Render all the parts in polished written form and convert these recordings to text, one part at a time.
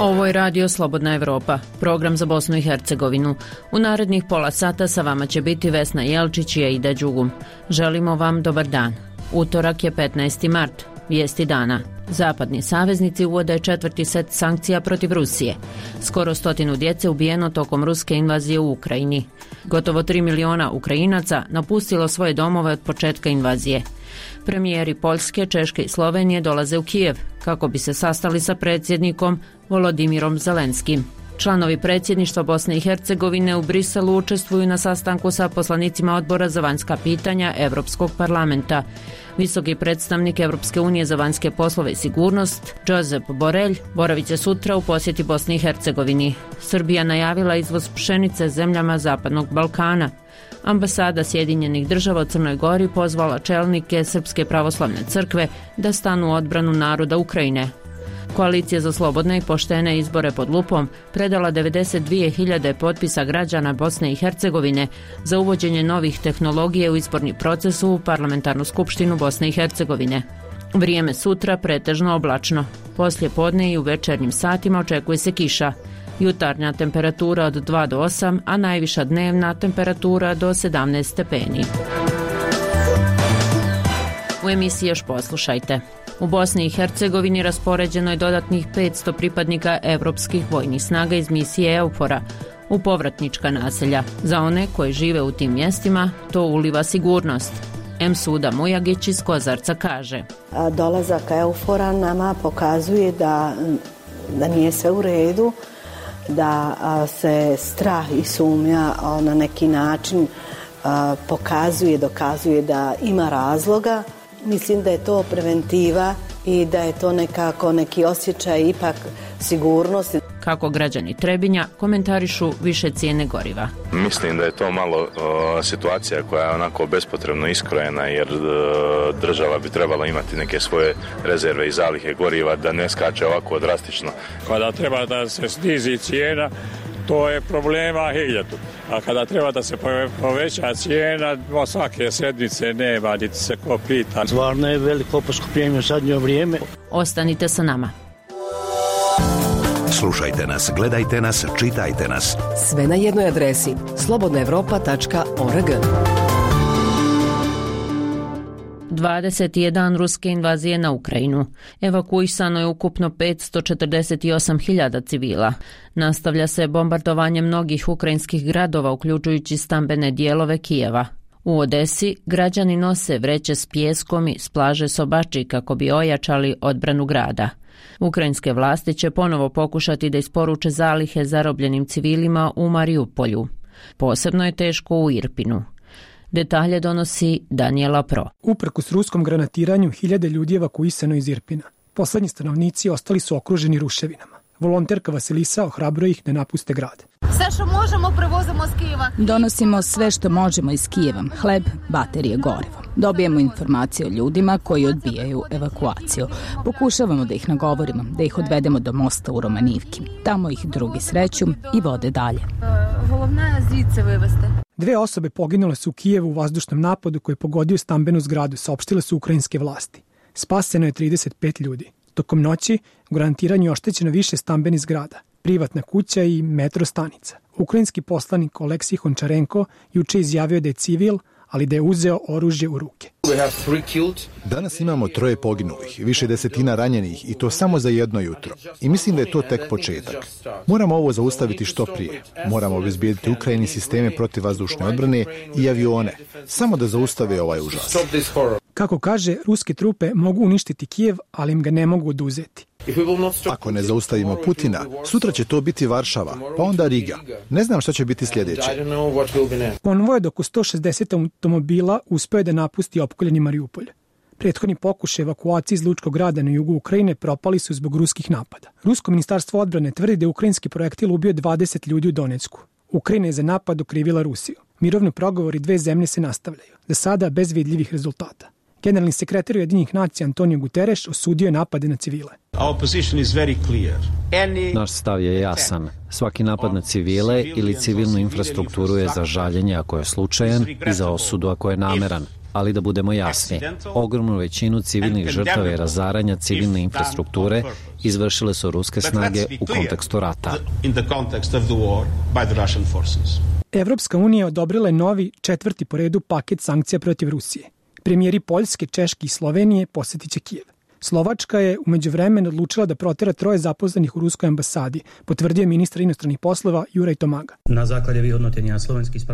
Ovo je Radio Slobodna Evropa, program za Bosnu i Hercegovinu. U narednih pola sata sa vama će biti Vesna Jelčić i Aida Đugum. Želimo vam dobar dan. Utorak je 15. mart. Vijesti dana. Zapadni saveznici uvode 4. set sankcija protiv Rusije. Skoro 100 djece ubijeno tokom ruske invazije u Ukrajini. Gotovo 3 miliona Ukrajinaca napustilo svoje domove od početka invazije. Premijeri Poljske, Češke i Slovenije dolaze u Kijev kako bi se sastali sa predsjednikom Volodimirom Zelenskim. Članovi predsjedništva Bosne i Hercegovine u Briselu učestvuju na sastanku sa poslanicima Odbora za vanjska pitanja Europskog parlamenta. Visoki predstavnik Europske unije za vanjske poslove i sigurnost, Josep Borrell, boravit će sutra u posjeti Bosni i Hercegovini. Srbija najavila izvoz pšenice zemljama Zapadnog Balkana. Ambasada Sjedinjenih država u Crnoj Gori pozvala čelnike Srpske pravoslavne crkve da stanu u odbranu naroda Ukrajine. Koalicija za slobodne i poštene izbore pod lupom predala 92.000 potpisa građana Bosne i Hercegovine za uvođenje novih tehnologije u izborni proces u Parlamentarnu skupštinu Bosne i Hercegovine. Vrijeme sutra pretežno oblačno. Poslije podne i u večernjim satima očekuje se kiša. Jutarnja temperatura od 2 do 8, a najviša dnevna temperatura do 17 stepeni. U emisiji još poslušajte. U Bosni i Hercegovini raspoređeno je dodatnih 500 pripadnika evropskih vojnih snaga iz misije EUFOR-a u povratnička naselja. Za one koji žive u tim mjestima to uliva sigurnost. Suda Mujagić iz Kozarca kaže: dolazak EUFOR-a nama pokazuje da nije sve u redu, da se strah i sumnja na neki način dokazuje da ima razloga. Mislim da je to preventiva i da je to nekako neki osjećaj ipak sigurnosti. Kako građani Trebinja komentarišu više cijene goriva. Mislim da je to malo situacija koja je onako bespotrebno iskrojena, jer država bi trebala imati neke svoje rezerve i zalihe goriva da ne skače ovako drastično. Kada treba da se snizi cijena, to je problema 1000. A kada treba da se poveća cijena, svake sedmice nema, niti se ko pita. Stvarno je veliko poskupljenje u zadnje vrijeme. Ostanite sa nama. Slušajte nas, gledajte nas, čitajte nas. Sve na jednoj adresi: slobodnaevropa.org. 20. dan ruske invazije na Ukrajinu. Evakuisano je ukupno 548.000 civila. Nastavlja se bombardovanje mnogih ukrajinskih gradova, uključujući stambene dijelove Kijeva. U Odesi građani nose vreće s pijeskom i s plaže Sobači kako bi ojačali odbranu grada. Ukrajinske vlasti će ponovo pokušati da isporuče zalihe zarobljenim civilima u Mariupolju. Posebno je teško u Irpinu. Detalje donosi Daniela Pro. Uprkos ruskom granatiranju, 1000 ljudi evakuisano iz Irpina. Poslednji stanovnici ostali su okruženi ruševinama. Volonterka Vasilisa ohrabruje ih da napuste grad. Sve što možemo prevozimo iz Kijeva. Donosimo sve što možemo iz Kijeva. Hleb, baterije, gorivo. Dobijemo informacije o ljudima koji odbijaju evakuaciju. Pokušavamo da ih nagovorimo, da ih odvedemo do mosta u Romanivki. Tamo ih drugi sreću i vode dalje. Головне звідси вивезти. 2 osobe poginule su u Kijevu u vazdušnom napadu koji je pogodio stambenu zgradu, saopštile su ukrajinske vlasti. Spaseno je 35 ljudi. Tokom noći u granatiranju je oštećeno više stambenih zgrada, privatna kuća i metro stanica. Ukrajinski poslanik Oleksij Hončarenko juče izjavio da je civil, ali da je uzeo oružje u ruke. Danas imamo 3 poginulih, više desetina ranjenih i to samo za jedno jutro. I mislim da je to tek početak. Moramo ovo zaustaviti što prije. Moramo obezbijediti Ukrajini sisteme protivvazdušne odbrane i avione, samo da zaustave ovaj užas. Kako kaže, ruske trupe mogu uništiti Kijev, ali im ga ne mogu oduzeti. Ako ne zaustavimo Putina, sutra će to biti Varšava, pa onda Riga. Ne znam šta će biti sljedeće. Konvoj od oko 160 automobila uspeo da napusti opkoljeni Mariupolj. Prethodni pokušaj evakuacije iz lučkog grada na jugu Ukrajine propali su zbog ruskih napada. Rusko ministarstvo odbrane tvrdi da je ukrajinski projektil ubio 20 ljudi u Donecku. Ukrajina je za napad okrivila Rusiju. Mirovni pregovori 2 zemlje se nastavljaju, za sada bez vidljivih rezultata. Generalni sekretar Ujedinjenih nacija Antonio Guterres osudio je napade na civile. Naš stav je jasan. Svaki napad na civile ili civilnu infrastrukturu je za žaljenje ako je slučajan i za osudu ako je nameran. Ali da budemo jasni, ogromnu većinu civilnih žrtava i razaranja civilne infrastrukture izvršile su ruske snage u kontekstu rata. Evropska unija odobrila je novi 4. po redu paket sankcija protiv Rusije. Premijeri Poljske, Češke i Slovenije posjetit će Kijev. Slovačka je umeđu vremenu odlučila da protera 3 zaposlenih u ruskoj ambasadi, potvrdio ministar inostranih poslova Juraj Tomaga.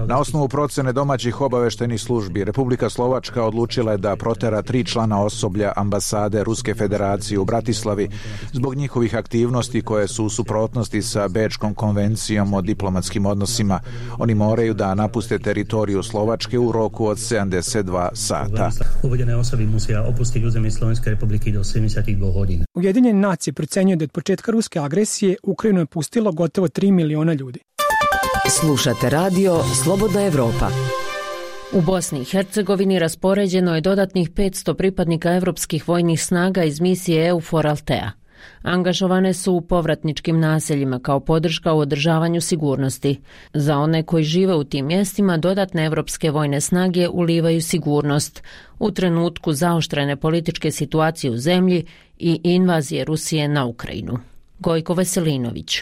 Na osnovu procene domaćih obaveštajnih službi, Republika Slovačka odlučila je da protera 3 člana osoblja ambasade Ruske federacije u Bratislavi zbog njihovih aktivnosti koje su u suprotnosti sa Bečkom konvencijom o diplomatskim odnosima. Oni moraju da napuste teritoriju Slovačke u roku od 72 sata. Uvedene osobe musija opustiti uzemlje Slovenske republike do 72 godina. Ujedinjene nacije procenjuju da od početka ruske agresije Ukrajinu je pustilo gotovo 3 miliona ljudi. Slušate radio Slobodna Evropa. U Bosni i Hercegovini raspoređeno je dodatnih 500 pripadnika evropskih vojnih snaga iz misije EUFOR Altea. Angažovane su u povratničkim naseljima kao podrška u održavanju sigurnosti. Za one koji žive u tim mjestima dodatne evropske vojne snage ulivaju sigurnost u trenutku zaoštrene političke situacije u zemlji i invazije Rusije na Ukrajinu. Gojko Veselinović.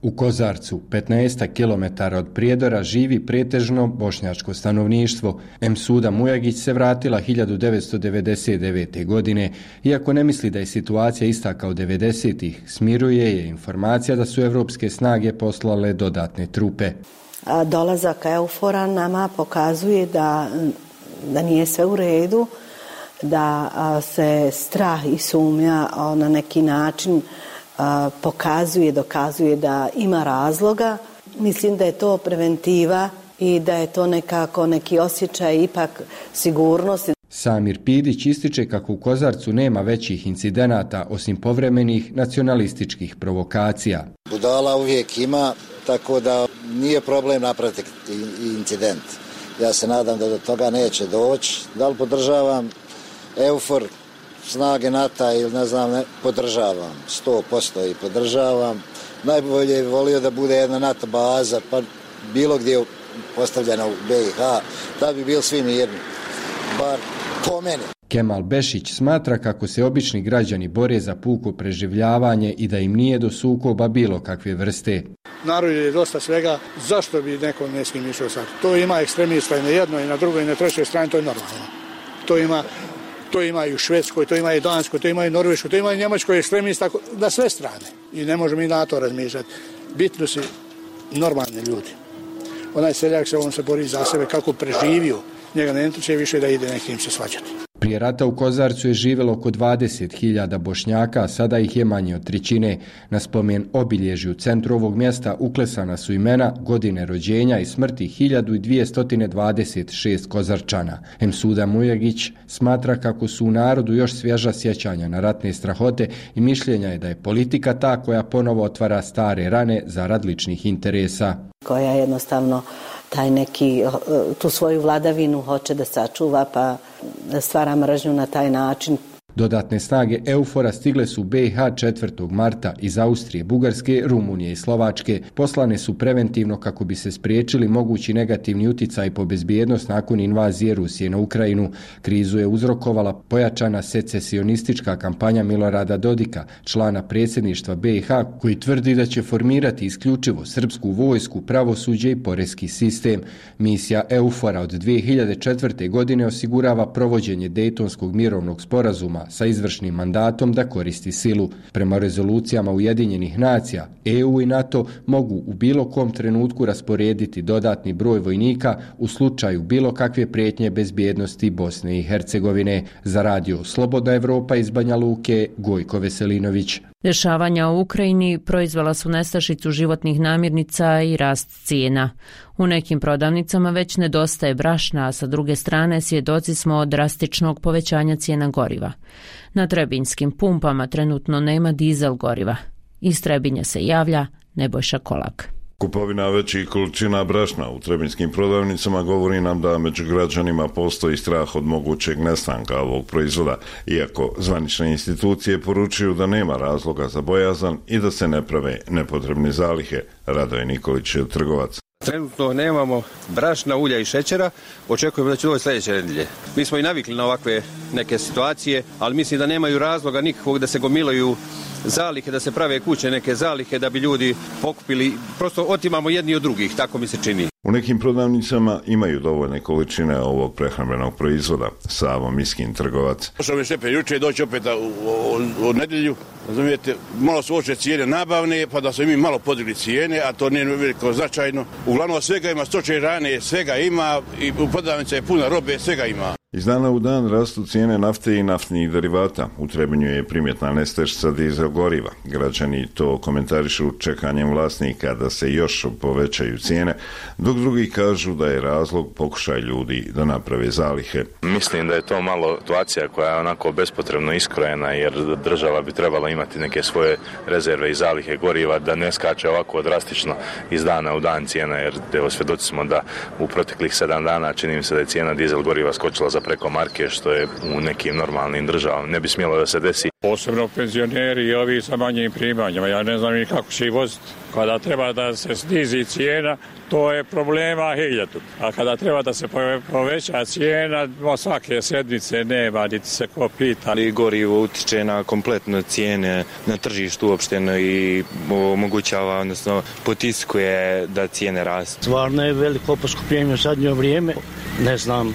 U Kozarcu, 15 km od Prijedora, živi pretežno bošnjačko stanovništvo. Emsuda Mujagić se vratila 1999. godine. Iako ne misli da je situacija ista kao 90-ih, smiruje je informacija da su evropske snage poslale dodatne trupe. Dolazak EUFOR-a nama pokazuje da nije sve u redu, da se strah i sumnja na neki način dokazuje da ima razloga. Mislim da je to preventiva i da je to nekako neki osjećaj ipak sigurnosti. Samir Pidić ističe kako u Kozarcu nema većih incidenata osim povremenih nacionalističkih provokacija. Budala uvijek ima, tako da nije problem napraviti incident. Ja se nadam da do toga neće doći. Da li podržavam EUFOR, snage NATO ili podržavam, 100% i podržavam. Najbolje je volio da bude jedna NATO baza, pa bilo gdje postavljena u BiH, da bi bili svi mirni, bar po meni. Kemal Bešić smatra kako se obični građani bore za puko preživljavanje i da im nije do sukoba bilo kakve vrste. Narod je dosta svega, zašto bi neko ne s njim išao sad? To ima ekstremista i na jednoj, i na drugoj, i na trećoj strani, to je normalno. To ima i u Švedskoj, to ima i Danskoj, to ima i Norveškoj, to ima i Njemačkoj ekstremista na sve strane. I ne možemo i na to razmišljati. Bitno su normalni ljudi. Onaj seljak on se bori za sebe kako preživio. Njega ne će više da ide nekim se svađati. Prije rata u Kozarcu je živjelo oko 20.000 Bošnjaka, a sada ih je manje od 1/3. Na spomen obilježju u centru ovog mjesta uklesana su imena, godine rođenja i smrti 1226 Kozarčana. Emsuda Mujagić smatra kako su u narodu još svježa sjećanja na ratne strahote i mišljenja je da je politika ta koja ponovo otvara stare rane zarad ličnih interesa. Koja jednostavno tu svoju vladavinu hoće da sačuva, pa stvara mržnju na taj način. Dodatne snage EUFOR-a stigle su u BiH 4. marta iz Austrije, Bugarske, Rumunije i Slovačke. Poslane su preventivno kako bi se spriječili mogući negativni uticaj po bezbjednost nakon invazije Rusije na Ukrajinu. Krizu je uzrokovala pojačana secesionistička kampanja Milorada Dodika, člana predsjedništva BiH, koji tvrdi da će formirati isključivo srpsku vojsku, pravosuđe i porezki sistem. Misija EUFOR-a od 2004. godine osigurava provođenje Dejtonskog mirovnog sporazuma sa izvršnim mandatom da koristi silu. Prema rezolucijama Ujedinjenih nacija, EU i NATO mogu u bilo kom trenutku rasporediti dodatni broj vojnika u slučaju bilo kakve prijetnje bezbjednosti Bosne i Hercegovine. Za radio Slobodna Evropa iz Banja Luke, Gojko Veselinović. Dešavanja u Ukrajini proizvela su nestašicu životnih namirnica i rast cijena. U nekim prodavnicama već nedostaje brašna, a sa druge strane svjedoci smo drastičnog povećanja cijena goriva. Na trebinjskim pumpama trenutno nema dizel goriva. Iz Trebinja se javlja Nebojša Kolak. Kupovina većih količina brašna u trebinjskim prodavnicama govori nam da među građanima postoji strah od mogućeg nestanka ovog proizvoda, iako zvanične institucije poručuju da nema razloga za bojazan i da se ne prave nepotrebne zalihe. Radoje Nikolić je trgovac. Trenutno nemamo brašna, ulja i šećera, očekujemo da će doći sljedeće nedelje. Mi smo i navikli na ovakve neke situacije, ali mislim da nemaju razloga nikakvog da se gomilaju zalihe, da se prave kuće neke zalihe da bi ljudi pokupili, prosto otimamo jedni od drugih, tako mi se čini. U nekim prodavnicama imaju dovoljne količine ovog prehrambenog proizvoda. Savo Miskin, trgovac. Došao mi šepe juče, doći opet u nedjelju, razumijete, malo su oče cijene nabavne, pa da su mi malo podigli cijene, a to nije veliko značajno. Uglavnom svega ima, stočne hrane, svega ima, i u prodavnici je puna robe, svega ima. Iz dana u dan rastu cijene nafte i naftnih derivata. U Trebinju je primjetna nestašica dizel goriva. Građani to komentarišu čekanjem vlasnika da se još povećaju cijene, dok drugi kažu da je razlog pokušaj ljudi da naprave zalihe. Mislim da je to malo situacija koja je onako bespotrebno iskrojena, jer država bi trebala imati neke svoje rezerve i zalihe goriva, da ne skače ovako drastično iz dana u dan cijena, jer evo svjedoci smo da u proteklih 7 dana čini mi se da je cijena dizel goriva skočila za preko marke, što je u nekim normalnim državama ne bi smjelo da se desi. Posebno penzioneri i ovi sa manjim primanjima, ja ne znam ni kako će ih voziti. Kada treba da se snizi cijena, to je problema hiljadu. A kada treba da se poveća cijena, svake sedmice nema, niti se ko pita. Ali gorivo utiče na kompletno cijene na tržištu uopšteno i omogućava, odnosno potiskuje da cijene rastu. Stvarno je veliko poskupljenje u zadnje vrijeme, ne znam.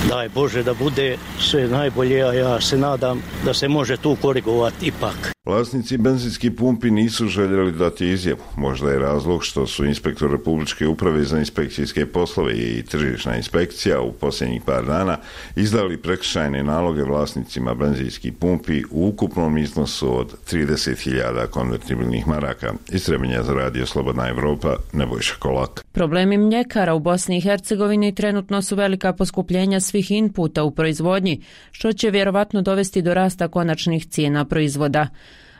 Daj Bože da bude sve najbolje, a ja se nadam da se može tu korigovati ipak. Vlasnici benzinskih pumpi nisu željeli dati izjavu. Možda je razlog što su inspektor Republičke uprave za inspekcijske poslove i tržišna inspekcija u posljednjih par dana izdali prekršajne naloge vlasnicima benzinskih pumpi u ukupnom iznosu od 30.000 konvertibilnih maraka. Iz Trebinja za radio Slobodna Evropa, Nebojša Kolak. Problemi mljekara u Bosni i Hercegovini trenutno su velika poskupljenja svih inputa u proizvodnji, što će vjerovatno dovesti do rasta konačnih cijena proizvoda.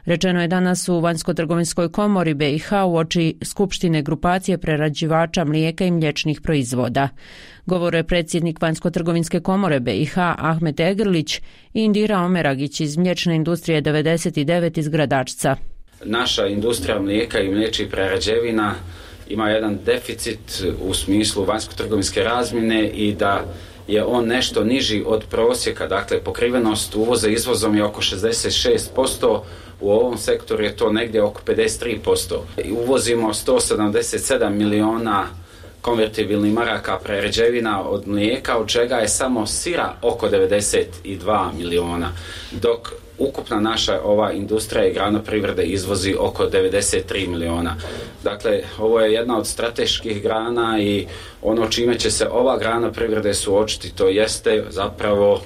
Rečeno je danas u Vanjsko-trgovinskoj komori BiH uoči Skupštine grupacije prerađivača mlijeka i mliječnih proizvoda. Govorio je predsjednik Vanjsko-trgovinske komore BiH Ahmet Egrlić i Indira Omeragić iz mliječne industrije 99 iz Gradačca. Naša industrija mlijeka i mliječnih prerađevina ima jedan deficit u smislu vanjsko-trgovinske razmjene i da je on nešto niži od prosjeka, dakle pokrivenost uvoza izvozom je oko 66%, u ovom sektoru je to negdje oko 53%. Uvozimo 177 miliona konvertibilnih maraka prerađevina od mlijeka, od čega je samo sira oko 92 miliona, dok ukupna naša ova industrija i grana privrede izvozi oko 93 miliona. Dakle, ovo je jedna od strateških grana i ono čime će se ova grana privrede suočiti, to jeste zapravo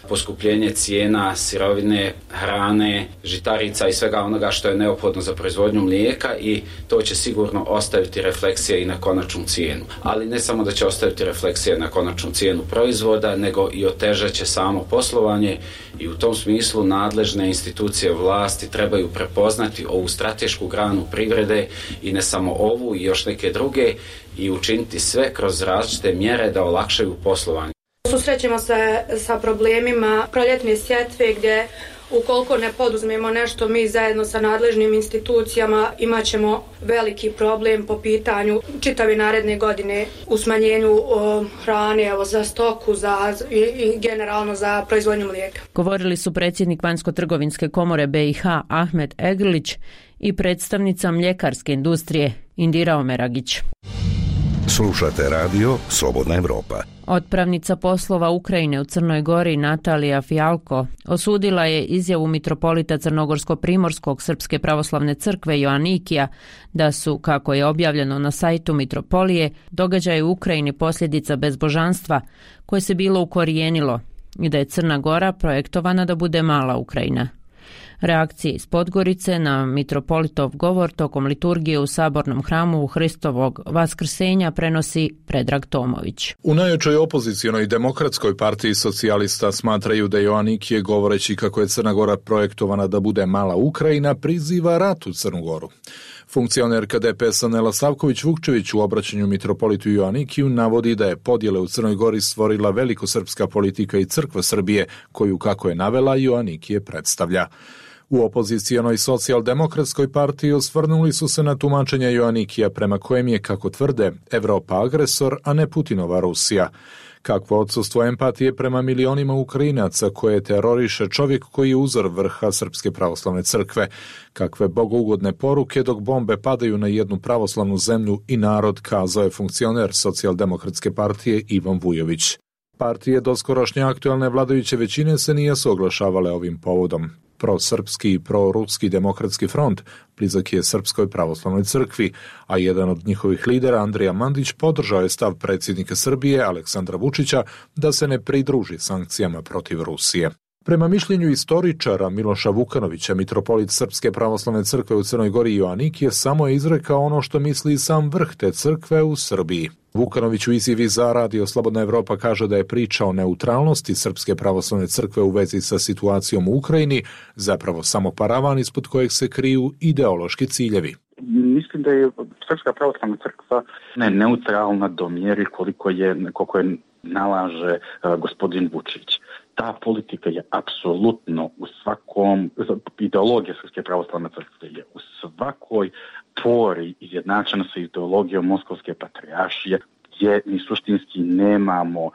poskupljenje cijena sirovine, hrane, žitarica i svega onoga što je neophodno za proizvodnju mlijeka i to će sigurno ostaviti refleksije i na konačnu cijenu. Ali ne samo da će ostaviti refleksije na konačnu cijenu proizvoda, nego i otežat će samo poslovanje i u tom smislu nadležne institucije vlasti trebaju prepoznati ovu stratešku granu privrede i ne samo ovu i još neke druge i učiniti sve kroz različite mjere da olakšaju poslovanje. Susrećemo se sa problemima proljetne sjetve gdje ukoliko ne poduzmemo nešto mi zajedno sa nadležnim institucijama imat ćemo veliki problem po pitanju čitave naredne godine u smanjenju hrane za stoku i generalno za proizvodnju mlijeka. Govorili su predsjednik Vanjsko-trgovinske komore BiH Ahmet Egrlić i predstavnica mljekarske industrije Indira Omeragić. Slušate radio Slobodna Evropa. Otpravnica poslova Ukrajine u Crnoj Gori Natalija Fijalko osudila je izjavu mitropolita Crnogorsko-primorskog Srpske pravoslavne crkve Joanikija da su, kako je objavljeno na sajtu mitropolije, događaje u Ukrajini posljedica bezbožanstva koje se bilo ukorijenilo i da je Crna Gora projektovana da bude mala Ukrajina. Reakcije iz Podgorice na mitropolitov govor tokom liturgije u sabornom hramu u Hristovog vaskrsenja prenosi Predrag Tomović. U najjačoj opozicionoj demokratskoj partiji socijalista smatraju da Joanikije, govoreći kako je Crna Gora projektovana da bude mala Ukrajina, priziva rat u Crnu Goru. Funkcionerka DPS-a Nela Savković-Vukčević u obraćanju mitropolitu Joanikiju navodi da je podjele u Crnoj Gori stvorila velikosrpska politika i crkva Srbije, koju, kako je navela, Joanikije predstavlja. U opozicijonoj socijaldemokratskoj partiji osvrnuli su se na tumačenje Joannikija prema kojem je, kako tvrde, Evropa agresor, a ne Putinova Rusija. Kakvo odsustvo empatije prema milionima Ukrajinaca koje teroriše čovjek koji je uzor vrha Srpske pravoslavne crkve. Kakve bogougodne poruke dok bombe padaju na jednu pravoslavnu zemlju i narod, kazao je funkcioner socijaldemokratske partije Ivan Vujović. Partije doskorošnje aktualne vladajuće većine se nisu oglašavale ovim povodom. Prosrpski i proruski demokratski front blizak je Srpskoj pravoslavnoj crkvi, a jedan od njihovih lidera, Andrija Mandić, podržao je stav predsjednika Srbije, Aleksandra Vučića, da se ne pridruži sankcijama protiv Rusije. Prema mišljenju istoričara Miloša Vukanovića, mitropolit Srpske pravoslavne crkve u Crnoj Gori Joannik je samo izrekao ono što misli sam vrh te crkve u Srbiji. Vukanović u izjavi za Radio Slobodna Evropa kaže da je priča o neutralnosti Srpske pravoslavne crkve u vezi sa situacijom u Ukrajini zapravo samo paravan ispod kojeg se kriju ideološki ciljevi. Mislim da je Srpska pravoslavna crkva neutralna do mjeri koliko je nalaže gospodin Vučić. Ta politika je apsolutno u svakom, ideologija Srpske pravoslavne crkve je u svakoj pori izjednačena sa ideologijom Moskovske patrijaršije, gdje mi suštinski nemamo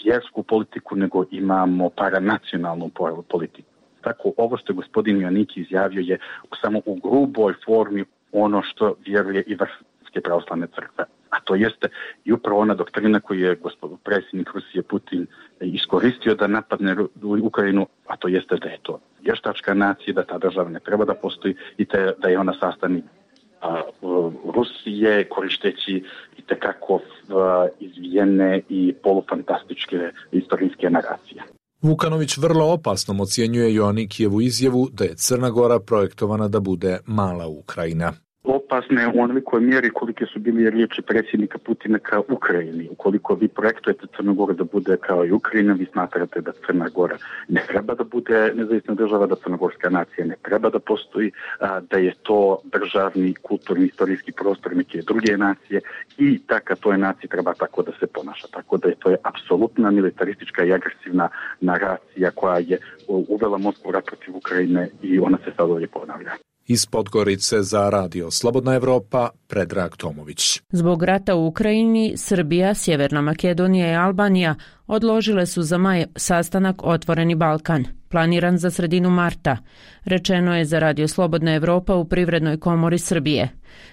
vjersku politiku, nego imamo paranacionalnu politiku. Tako, ovo što je gospodin Joannik izjavio je samo u gruboj formi ono što vjeruje i vrh Srpske pravoslavne crkve. A to jeste i upravo ona doktrina koju je predsjednik Rusije Putin iskoristio da napadne Ukrajinu, a to jeste da je to vještačka nacija, da ta država ne treba da postoji i da je ona sastavnik Rusije, koristeći itekako izvijene i polufantastičke istorijske naracije. Vukanović vrlo opasnom ocjenjuje Joannikijevu izjavu da je Crna Gora projektovana da bude mala Ukrajina. Opasne u onolikoj mjeri kolike su bili riječi predsjednika Putina kao Ukrajini. Ukoliko vi projektujete Crnu Goru da bude kao i Ukrajina, vi smatrate da Crna Gora ne treba da bude nezavisna država, da crnogorska nacija ne treba da postoji, da je to državni, kulturni, istorijski prostor neke druge nacije i ka toj naciji treba tako da se ponaša. Tako da to je apsolutna militaristička i agresivna naracija koja je uvela Moskvu rat protiv Ukrajine i ona se sad ovdje ponavlja. Iz Podgorice za Radio Slobodna Evropa, Predrag Tomović. Zbog rata u Ukrajini, Srbija, Sjeverna Makedonija i Albanija odložile su za maj sastanak Otvoreni Balkan, planiran za sredinu marta, rečeno je za Radio Slobodna Evropa u Privrednoj komori Srbije.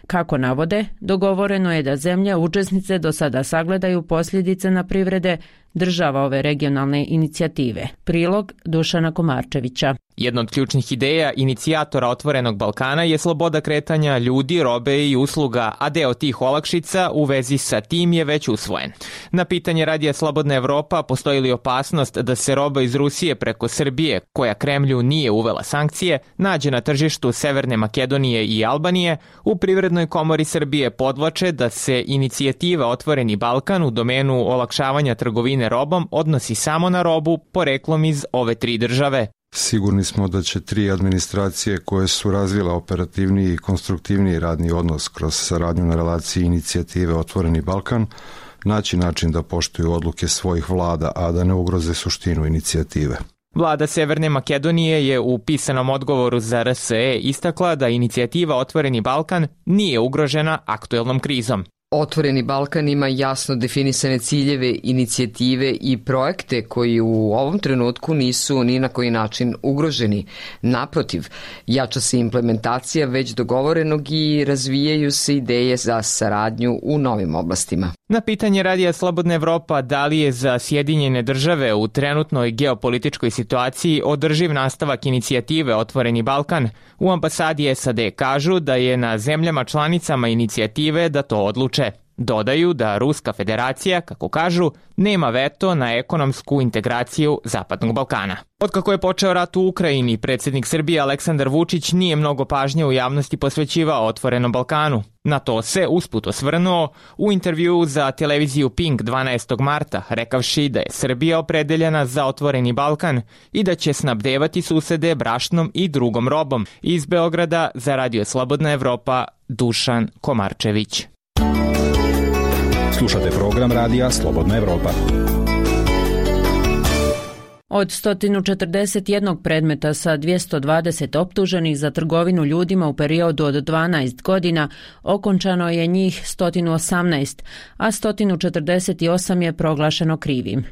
Kako navode, dogovoreno je da zemlje učesnice do sada sagledaju posljedice na privrede država ove regionalne inicijative. Prilog Dušana Komarčevića. Jedna od ključnih ideja inicijatora Otvorenog Balkana je sloboda kretanja ljudi, robe i usluga, a deo tih olakšica u vezi sa tim je već usvojen. Na pitanje Radija Slobodna Evropa postoji li opasnost da se roba iz Rusije preko Srbije, koja Kremlju nije uvela sankcije, nađe na tržištu Severne Makedonije i Albanije, u Privrednoj komori Srbije podvlače da se inicijativa Otvoreni Balkan u domenu olakšavanja trgovine robom odnosi samo na robu poreklom iz ove tri države. Sigurni smo da će tri administracije koje su razvile operativniji i konstruktivniji radni odnos kroz saradnju na relaciji inicijative Otvoreni Balkan naći način da poštuju odluke svojih vlada, a da ne ugroze suštinu inicijative. Vlada Severne Makedonije je u pisanom odgovoru za RSE istakla da inicijativa Otvoreni Balkan nije ugrožena aktuelnom krizom. Otvoreni Balkan ima jasno definisane ciljeve, inicijative i projekte koji u ovom trenutku nisu ni na koji način ugroženi. Naprotiv, jača se implementacija već dogovorenog i razvijaju se ideje za saradnju u novim oblastima. Na pitanje Radija Slobodna Evropa da li je za Sjedinjene države u trenutnoj geopolitičkoj situaciji održiv nastavak inicijative Otvoreni Balkan, u ambasadi SAD kažu da je na zemljama članicama inicijative da to odluče. Dodaju da Ruska federacija, kako kažu, nema veto na ekonomsku integraciju Zapadnog Balkana. Otkako je počeo rat u Ukrajini, predsjednik Srbije Aleksandar Vučić nije mnogo pažnje u javnosti posvećivao Otvorenom Balkanu. Na to se usput osvrnuo u intervjuu za televiziju Pink 12. marta, rekavši da je Srbija opredeljena za Otvoreni Balkan i da će snabdevati susede brašnom i drugom robom. Iz Beograda za Radio Slobodna Evropa, Dušan Komarčević. Slušate program Radija Slobodna Evropa. Od 141 predmeta sa 220 optuženih za trgovinu ljudima u periodu od 12 godina, okončano je njih 118, a 148 je proglašeno krivim.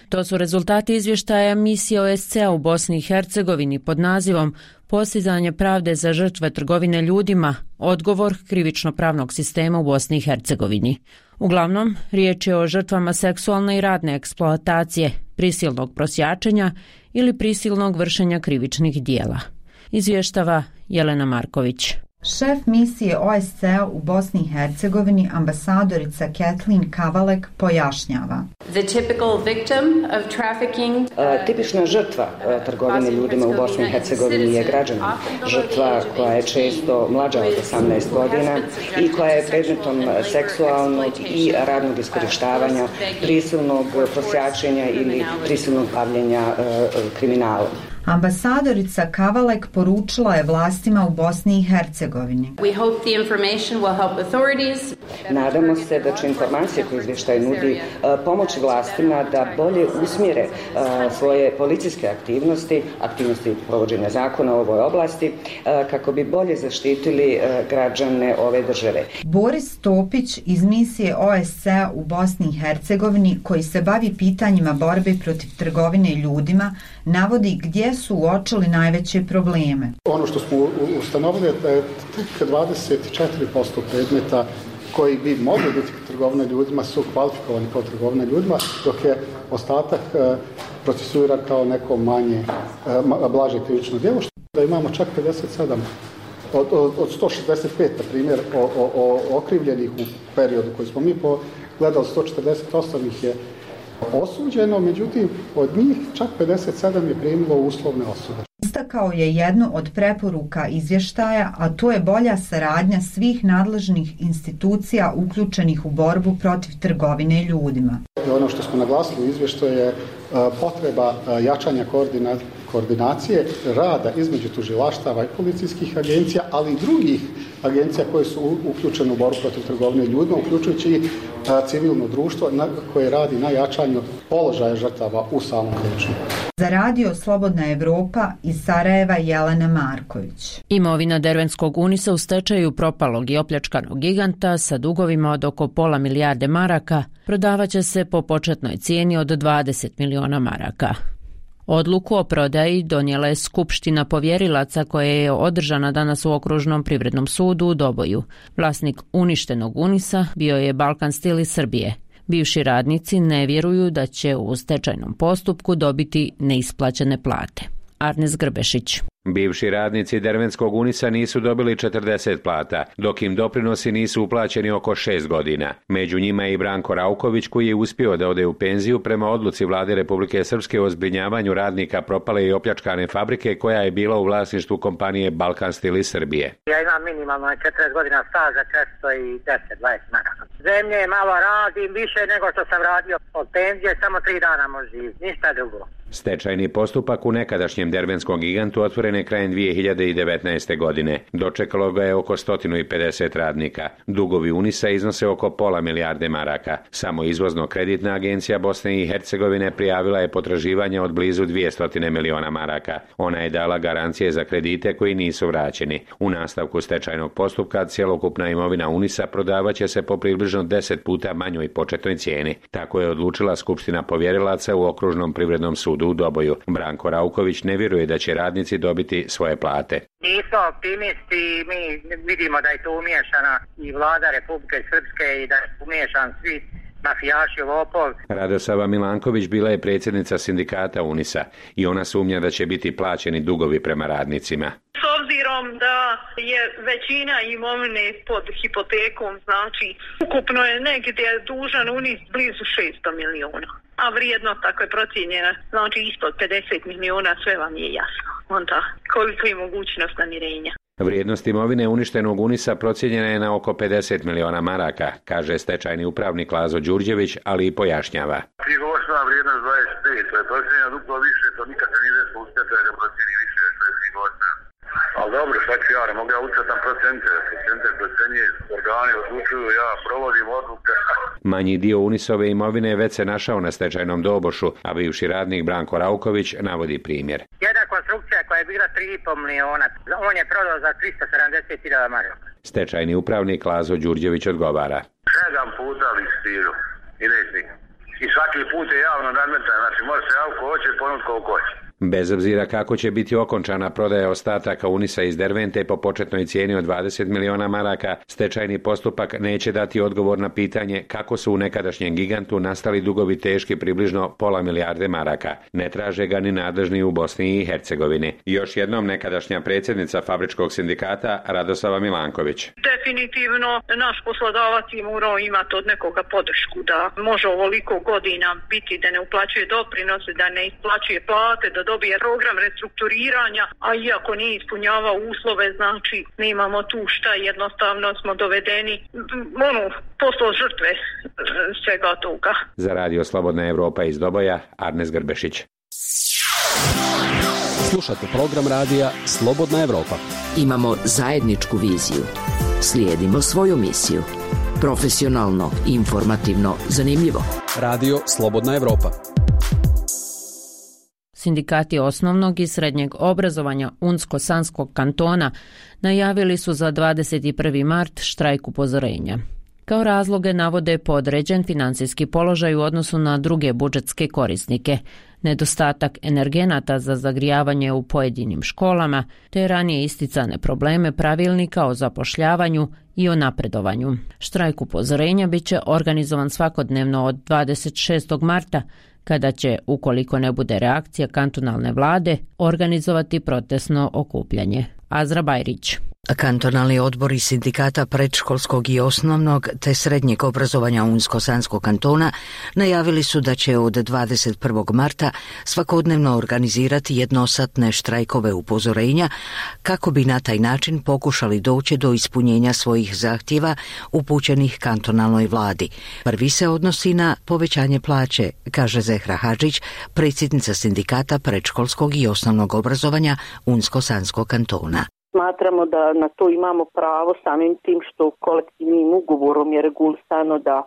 To su rezultati izvještaja misije OSCE u Bosni i Hercegovini pod nazivom Postizanje pravde za žrtve trgovine ljudima, odgovor krivično-pravnog sistema u Bosni i Hercegovini. Uglavnom, riječ je o žrtvama seksualne i radne eksploatacije, prisilnog prosjačenja ili prisilnog vršenja krivičnih dijela. Izvještava Jelena Marković. Šef misije OSCE u Bosni i Hercegovini, ambasadorica Kathleen Kavalek, pojašnjava. Tipična žrtva trgovine ljudima u Bosni i Hercegovini je građanin. Žrtva koja je često mlađa od 18 godina i koja je predmetom seksualnog i radnog iskorištavanja, prisilnog prosjačenja ili prisilnog bavljenja kriminalom. Ambasadorica Kavalek poručila je vlastima u Bosni i Hercegovini. Nadamo se da će informacije koje izvještaj nudi pomoći vlastima da bolje usmjere svoje policijske aktivnosti provođenja zakona u ovoj oblasti, kako bi bolje zaštitili građane ove države. Boris Topić iz misije OSCE u Bosni i Hercegovini, koji se bavi pitanjima borbe protiv trgovine ljudima, navodi gdje su uočili najveće probleme. Ono što smo ustanovili je da je tek 24% predmeta koji bi mogli biti trgovina ljudima su kvalifikovani kao trgovina ljudima, dok je ostatak procesuiran kao neko blaže krivično djelo, što da imamo čak 57 od 165, na primjer, okrivljenih u periodu koji smo mi pogledali, 148 ih je osuđeno, međutim od njih čak 57 je primilo uslovne osude. Istakao je jednu od preporuka izvještaja, a to je bolja saradnja svih nadležnih institucija uključenih u borbu protiv trgovine ljudima. Ono što smo naglasili u izvještaju je potreba jačanja koordinacije rada između tužilaštava i policijskih agencija, ali i drugih agencija koje su uključene u borbu protiv trgovine ljudima, uključujući i civilno društvo koje radi na jačanju položaja žrtava u samom društvu. Za Radio Slobodna Evropa iz Sarajeva Jelena Marković. Imovina Dervenskog Unisa u stečaju propalog i opljačkanog giganta sa dugovima od oko pola milijarde maraka prodavaće se po početnoj cijeni od 20 miliona maraka. Odluku o prodaji donijela je Skupština povjerilaca koja je održana danas u Okružnom privrednom sudu u Doboju. Vlasnik uništenog Unisa bio je Balkan Stil iz Srbije. Bivši radnici ne vjeruju da će u stečajnom postupku dobiti neisplaćene plate. Arnes Grbešić. Bivši radnici Dervenskog Unisa nisu dobili 40 plata, dok im doprinosi nisu uplaćeni oko 6 godina. Među njima je i Branko Rauković, koji je uspio da ode u penziju prema odluci Vlade Republike Srpske o zbrinjavanju radnika propale i opljačkane fabrike koja je bila u vlasništvu kompanije Balkan Stil iz Srbije. Ja imam minimalno 40 godina staža, 410-20 maraka. Zemlje malo radim, više nego što sam radio od penzije, samo 3 dana može živjeti, ništa drugo. Stečajni postupak u nekadašnjem dervenskom gigantu otvoren je krajem 2019. godine. Dočekalo ga je oko 150 radnika. Dugovi Unisa iznose oko pola milijarde maraka. Samo izvozno-kreditna agencija Bosne i Hercegovine prijavila je potraživanja od blizu 200 miliona maraka. Ona je dala garancije za kredite koji nisu vraćeni. U nastavku stečajnog postupka cjelokupna imovina Unisa prodavaće se po približno 10 puta manjoj početnoj cijeni. Tako je odlučila Skupština povjerilaca u Okružnom privrednom sudu u Doboju. Branko Rauković ne vjeruje da će radnici dobiti svoje plate. Nismo optimisti, mi vidimo da je to umiješana i vlada Republike Srpske i da je umiješan svi mafijaši, lopov. Radosava Milanković bila je predsjednica sindikata Unisa i ona sumnja da će biti plaćeni dugovi prema radnicima. S obzirom da je većina imovine pod hipotekom, znači ukupno je negdje dužan Unis blizu 600 miliona. A vrijednost tako je procijenjena, znači ispod 50 miliona, sve vam je jasno. Onda koliko je mogućnost namirenja. Vrijednost imovine uništenog Unisa procijenjena je na oko 50 miliona maraka, kaže stečajni upravnik Lazo Đurđević, ali i pojašnjava. Knjigovodstvena vrijednost 25, to je procijenjena duplo više, to nikad se nije desilo u stečaju da procijeni više što je knjigovodstvena. Ali dobro, šta ću ja, ne mogu ja utjecati na procente, procenije, organi odlučuju, ja provodim odluke. Manji dio Unisove imovine već se našao na stečajnom dobošu, a bivši radnik Branko Rauković navodi primjer. Jedna konstrukcija koja je bila 3,5 miliona, on je prodao za 370.000 maraka. Stečajni upravnik Lazo Đurđević odgovara. 7 puta listiru i nećnik. I svaki put je javno nadmetan, znači može se javko hoće i ponut koliko hoće. Bez obzira kako će biti okončana prodaja ostataka Unisa iz Dervente po početnoj cijeni od 20 miliona maraka, stečajni postupak neće dati odgovor na pitanje kako su u nekadašnjem gigantu nastali dugovi teški približno pola milijarde maraka. Ne traže ga ni nadležni u Bosni i Hercegovini. Još jednom nekadašnja predsjednica Fabričkog sindikata Radoslava Milanković. Definitivno naš poslodavac je morao imati od nekoga podršku da može ovoliko godina biti da ne uplaćuje doprinose, da ne isplaćuje plate, da dobije program restrukturiranja, a iako nije ispunjavao uslove, znači nemamo tu šta, jednostavno smo dovedeni postao žrtve svega toga. Za Radio Slobodna Evropa iz Doboja, Arnes Grbešić. Slušate program radija Slobodna Evropa. Imamo zajedničku viziju. Slijedimo svoju misiju. Profesionalno, informativno, zanimljivo. Radio Slobodna Evropa. Sindikati osnovnog i srednjeg obrazovanja Unsko-Sanskog kantona najavili su za 21. mart štrajk upozorenja. Kao razloge navode podređen financijski položaj u odnosu na druge budžetske korisnike, nedostatak energenata za zagrijavanje u pojedinim školama, te ranije isticane probleme pravilnika o zapošljavanju i o napredovanju. Štrajk upozorenja bit će organizovan svakodnevno od 26. marta, kada će, ukoliko ne bude reakcija kantonalne vlade, organizovati protestno okupljanje. Azra Bajrić. Kantonalni odbori sindikata predškolskog i osnovnog te srednjeg obrazovanja Unsko-Sanskog kantona najavili su da će od 21. marta svakodnevno organizirati jednosatne štrajkove upozorenja kako bi na taj način pokušali doći do ispunjenja svojih zahtjeva upućenih kantonalnoj vladi. Prvi se odnosi na povećanje plaće, kaže Zehra Hadžić, predsjednica sindikata predškolskog i osnovnog obrazovanja Unsko-Sanskog kantona. Smatramo da na to imamo pravo samim tim što kolektivnim ugovorom je regulisano da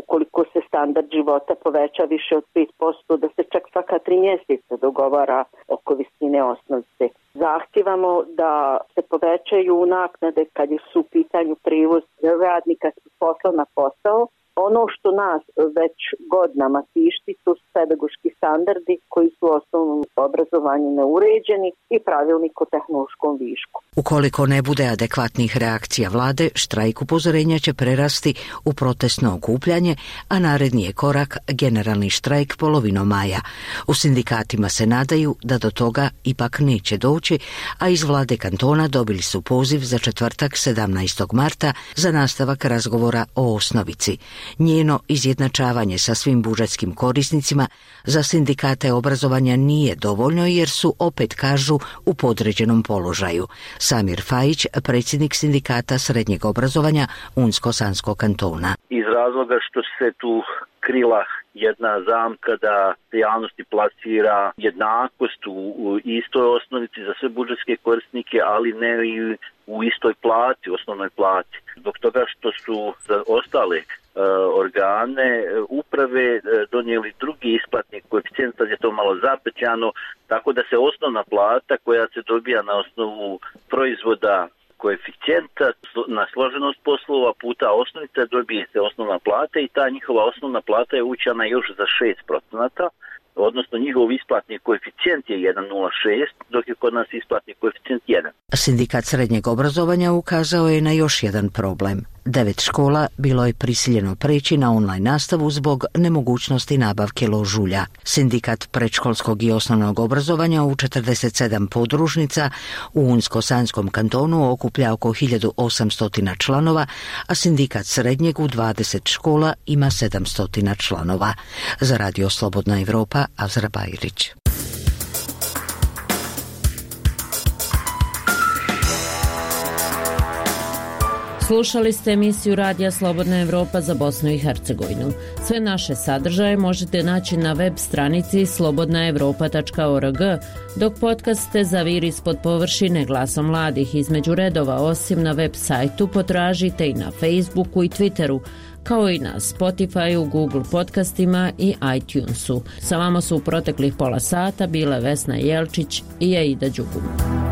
ukoliko se standard života poveća više od 5%, da se čak svaka 3 mjeseca dogovara oko visine osnovice. Zahtijevamo da se povećaju naknade kad su u pitanju prijevoz radnika s posla na posao. Ono što nas već godinama tišti su pedagoški standardi koji su u osnovnom obrazovanju neuređeni i pravilnik o tehnološkom višku. Ukoliko ne bude adekvatnih reakcija vlade, štrajk upozorenja će prerasti u protestno okupljanje, a naredni je korak generalni štrajk polovinom maja. U sindikatima se nadaju da do toga ipak neće doći, a iz vlade kantona dobili su poziv za četvrtak 17. marta za nastavak razgovora o osnovici. Njeno izjednačavanje sa svim budžetskim korisnicima za sindikate obrazovanja nije dovoljno jer su, opet kažu, u podređenom položaju. Samir Fajić, predsjednik sindikata srednjeg obrazovanja Unsko-Sanskog kantona. Iz razloga što se tu krila jedna zamka da se javnosti plasira jednakost u istoj osnovici za sve budžetske korisnike, ali ne i u istoj plati, osnovnoj plati. Zbog toga što su za ostale organe uprave donijeli drugi isplatni koeficijent, sad je to malo zapećano, tako da se osnovna plata koja se dobija na osnovu proizvoda koeficijenta na složenost poslova puta osnovica dobije se osnovna plata i ta njihova osnovna plata je uvećana još za 6%, odnosno njihov isplatni koeficijent je 1,06, dok je kod nas isplatni koeficijent 1. Sindikat srednjeg obrazovanja ukazao je na još jedan problem. 9 škola bilo je prisiljeno preći na online nastavu zbog nemogućnosti nabavke ložulja. Sindikat predškolskog i osnovnog obrazovanja u 47 podružnica u Unsko-Sanskom kantonu okuplja oko 1800 članova, a sindikat srednjeg u 20 škola ima 700 članova. Za Radio Slobodna Evropa, Azra Bajrić. Slušali ste emisiju Radija Slobodna Evropa za Bosnu i Hercegovinu. Sve naše sadržaje možete naći na web stranici slobodnaevropa.org, dok podcaste Zaviri ispod površine Glasa mladih između redova, osim na web sajtu, potražite i na Facebooku i Twitteru, kao i na Spotifyu, Google podcastima i iTunesu. Sa vama su u proteklih pola sata bile Vesna Jelčić i Aida Đugum.